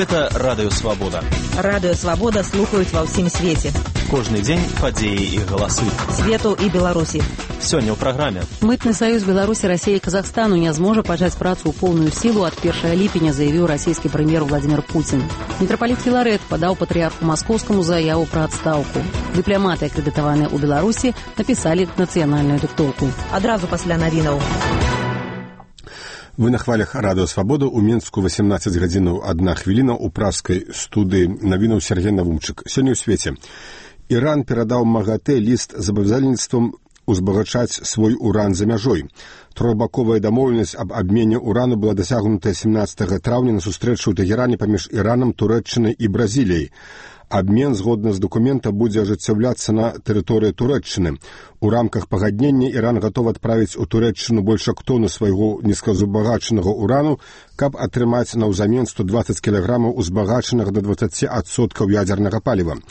Гэта радыёвабода. Радыёвабода слухаюць ва ўсім свеце. Кожны дзень падзеі і галасы. Свету і Беларусі. Сёння ў праграме. Мытны саюз Беларусі, Расіі і Казахстану не зможа пачаць працу ў поўную сілу ад 1 ліпеня, заявіў расійскі прэм'ер Владзімір Пуцін. Мітрапаліт Філарэт падаў патрыярху маскоўскаму заяву пра адстаўку. Дыпламаты, акрэдытаваныя ў Беларусі, напісалі нацыянальную дыктоўку. Адразу пасля навінаў. Вы на хвалях радыёвабода. У Мінску 18 гадзінаў 1 хвіліна. У пражскай студыі навінаў Сергей Навумчык. Сёння ў свеце. Іран перадаў МАГАТЭ ліст з абавязальніцтвам узбагачаць свой уран за мяжой. Трохбаковая дамоўленасць аб абмене урану была дасягнутая 17 траўня на сустрэчу ў Тэгеране паміж Іранам, Турэччынай і Бразіліяй. Абмен, згодна з дакумента, будзе ажыццяўляцца на тэрыторыі Турэччыны. У рамках пагаднення Іран гатовы адправіць у Турэччыну больш як тону свайго нізказабагачанага урану, каб атрымаць наўзамен 120 кілаграмаў узбагачанага да 20% ядзернага паліва.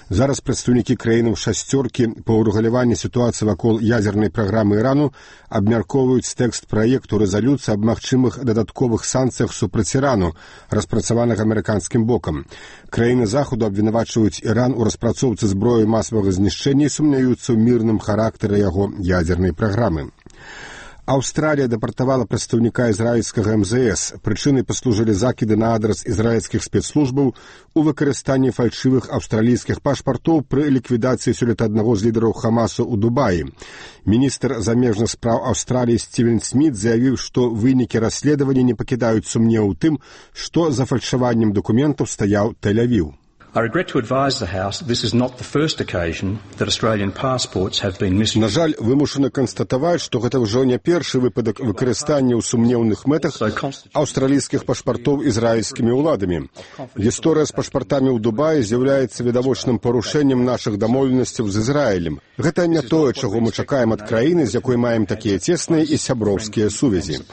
Зараз прадстаўнікі краінаў шасцёркі па ўрэгуляванні сітуацыі вакол ядзернай праграмы Ірану абмяркоўваюць тэкст праекту рэзалюцыі аб магчымых дадатковых санкцыях супраць Ірану, распрацаваных амерыканскім бокам. Краіны Захаду абвінавачваюць Іран у распрацоўцы зброі масавага знішчэння і сумняюцца ў мірным характары яго ядзернай праграмы. Аўстралія дэпартавала прадстаўніка ізраільскага МЗС. Прычынай паслужылі закіды на адрас ізраільскіх спецслужбаў у выкарыстанні фальшывых аўстралійскіх пашпартоў пры ліквідацыі сёлета аднаго з лідараў Хамасу ў Дубаі. Міністр замежных спраў Аўстраліі Стівен Сміт заявіў, што вынікі расследавання не пакідаюць сумневу ў тым, што за фальшаваннем дакументаў стаяў Тель-Авіў. I regret to advise the House that this is not the first occasion that Australian passports have been misused. На жаль, вымушаны канстатаваць, што гэта ўжо не першы выпадак выкарыстання ў сумнеўных мэтах аўстралійскіх пашпартоў ізраільскімі ўладамі. Гісторыя з пашпартамі ў Дубаі з'яўляецца відавочным парушэннем нашых дамоўленасцяў з Ізраілем. Гэта не тое, чаго мы чакаем ад краіны, з якой маем такія цесныя і сяброўскія сувязі.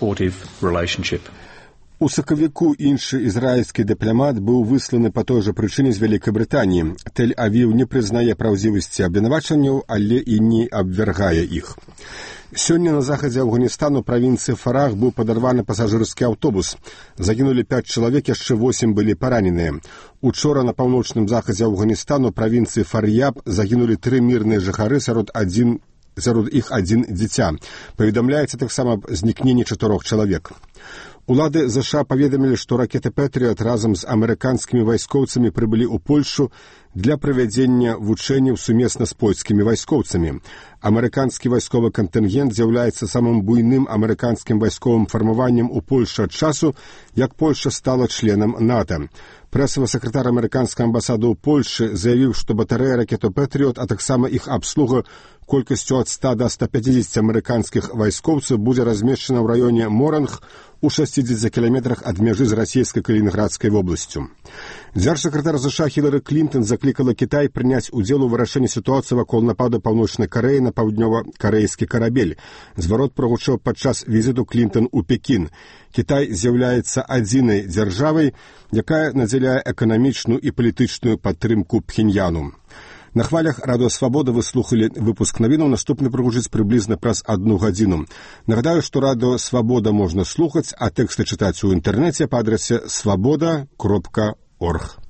У сакавіку іншы ізраільскі дыпламат быў высланы па той жа прычыне з Вялікай Брытаніі. Тель-Авіў не прызнае праўдзівасці абвінавачанняў, але і не абвяргае іх. Сёння на захадзе Афганістану правінцыі Фарах быў падарваны пасажырскі аўтобус. Загінулі 5 чалавек, яшчэ 8 былі параненыя. Учора на паўночным захадзе Афганістану правінцыі Фар'яб загінулі 3 мірныя жыхары, сярод іх адзін дзіця. Паведамляецца таксама аб знікненні 4 чалавек. Улады ЗША паведамілі, што ракеты «Пэтрыёт» разам з амерыканскімі вайскоўцамі прыбылі ў Польшу для правядзення вучэнняў сумесна з польскімі вайскоўцамі. Амерыканскі вайсковы кантынгент з'яўляецца самым буйным амерыканскім вайсковым фармаваннем у Польшы ад часу, як Польша стала членам НАТО. Прэсавы сакратар амерыканскай амбасады ў Польшы заявіў, што батарэя ракетаў «Пэтрыёт», а таксама іх абслуга колькасцю ад 100 да 150 амерыканскіх вайскоўцаў будзе размешчана ў раёне Моранг у 60 кіламетрах ад мяжы з расійскай Калінінградскай вобласцю. Дзяржсакратар ЗША Хілары Клінтон заклікала Кітай прыняць удзел у вырашэнні сітуацыі вакол нападу Паўночнай Карэі на паўднёва-карэйскі карабель. Зварот прагучаў падчас візіту Клінтон у Пекін. Кітай з'яўляецца адзінай дзяржавай, якая надзяляе эканамічную і палітычную падтрымку Пхеньяну. На хвалях радыёвабода вы слухалі выпуск навінаў, наступны прагучыць прыблізна праз 1 гадзіну. Нагадаю, што радыёвабода можна слухаць, а тэксты чытаць у інтэрнэце па адрасе swaboda.org.